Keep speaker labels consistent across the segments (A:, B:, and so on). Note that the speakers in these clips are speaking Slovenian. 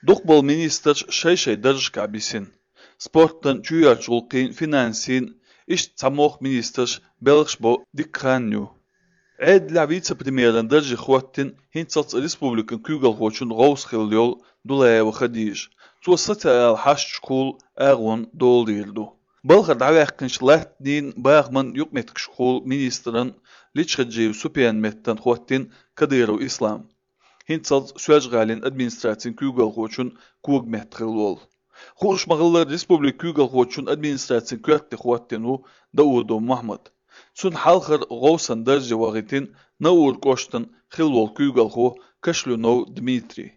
A: Duqbol minister şey darjka bisin. Sporttan çüyaçulqin finansin iş samoq minister Belxbo dikranyu. Edla vice-premieran darji xwattin hintsats respublikan kügal xoçun gowsxilyol dulayev khadij. Tuossata hash shkul agun doldirdu. Balxar dawaqkin shlatnin baagman yukmetk shkul ministeran lichkhadjiv supian mettan xwattin Kadirov Islam. Hintsats süajgalin administratsiyin kügal xoçun kuog metxilwol. Xushmagıllar Respublik kügal xoçun administratsiyin küatti xwattinu Daudo Mahmud. Sun halkhar gowsan darji wagitin naur koshtan khilwol kügal xo Kashlunov Dmitri.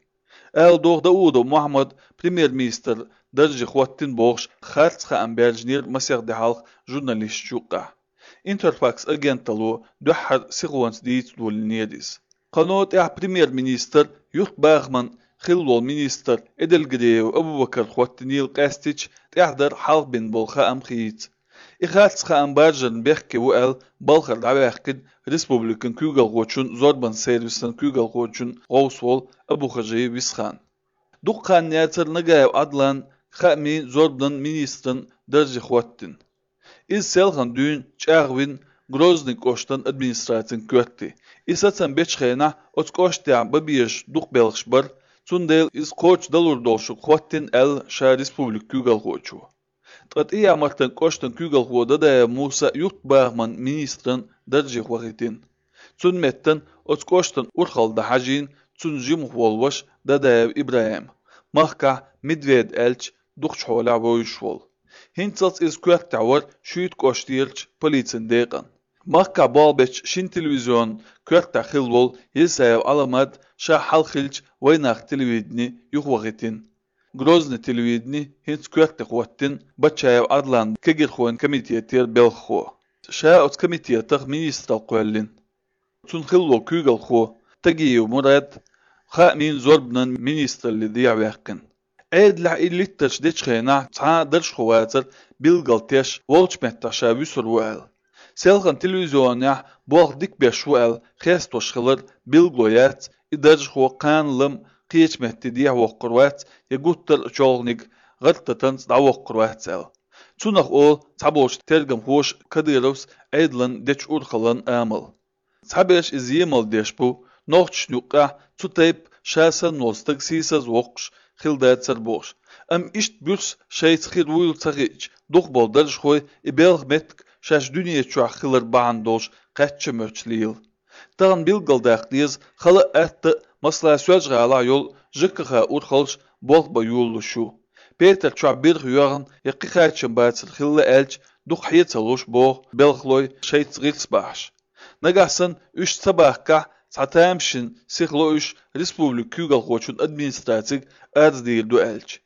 A: Doğ Daudo Mahmud premier minister darji xwattin boğş khartsxa amberjnir masagdi halk jurnalist juqa. Interfax agentalu duhar siqwans diit dulniyadis. قنوات بريمير مينستر يوت باغمان خلول مينستر ادلغريو ابو بكر خواتنيل قاستيج تحضر حلق بن بولخا ام خيت اخاتس خام بارجن بخكي وال بالخر دعواقد ريسبوبليكن كوغل غوچون زوربان سيرفيسن كوغل غوچون غوسول ابو خجي ويسخان دوقان نياتر نغايو ادلان خامي زوربان مينسترن درجي خواتن iz selhan dün çağvin Grozny koştan administratsiyin kötti. İsatsan beçxena oç koştya babiyeş duq belxbar, sundel iz koç dalur dolşu xwattin el şa respublik kügal xoçu. Tqat iya martan koştan kügal xoda da Musa yurt bağman ministran darji xwagitin. Sun metten oç koştan urxalda hajin sun jim xwolwaş da İbrahim. Mahka Medved elç duq çola boyuşwol. Hintsats iz kötti war şüyt koştiyelç politsin deqan. Mahka balbeç şin televizyon kötti xilwol yesayev alamat şa halxilç waynaq televidni yuxwagitin. Grozny televidni hints kötti xwattin bachayev adlan kegir xwan komiteter belxo. Şa ot komiteter ministral qollin. Sun xilwol kügal xo tagiyev Murad xa min zorbnan ministerli diyawaqin. Edla illitterch deçxena ta darsh xwatsar bilgalteş volchmettaşa visurwal. Selxan televizyonya boğ dikbeş şuel xestoş xılır bilgoyat idarj xo qanlım qiyeçmetti diye voqurvat yaguttar çolnik gırtatans da voqurvatsel. Çunaq o taboş tergam hoş Kadirovs edlan deç urxalan amal. Tabeş izyemal deş bu noqçnuqa tutayp şasan nostak sisaz voqş xildatsar boş. Am işt bürs şeyt xir uyul tsagiç duqbol darj xoy ibelg metk şaş dünya çuaqılır bağandolş qaççı möçliyil. Tağın bilgaldaqdiz xalı ətdi masla söjğala yol jıqqa urxalş bolba yoluşu. Peter çuaq bir xuyağın yaqi qaçın batsır xilli elç duq hiyetaloş boğ belxloy şeyt gilsbaş. Nagasan üç sabahqa satamşin sixlo üç respublik kügal xoçun administratsik arzdiyildu elç.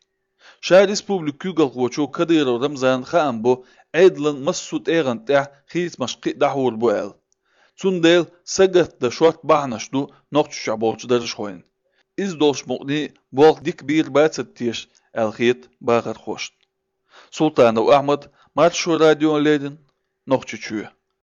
A: Şa respublik kügal xoçu Kadirov Ramzan xan bu Edlan masut eğan teh xis maşqi dahur bu el. Sundel sagat da şort bahnaşdu noqçuşa bolçu darış xoyun. İz dolş muqni bolq dik bir batsat tiş el xit bağır xoşt. Sultanov Ahmad Marşu radyo ledin noqçuçuya.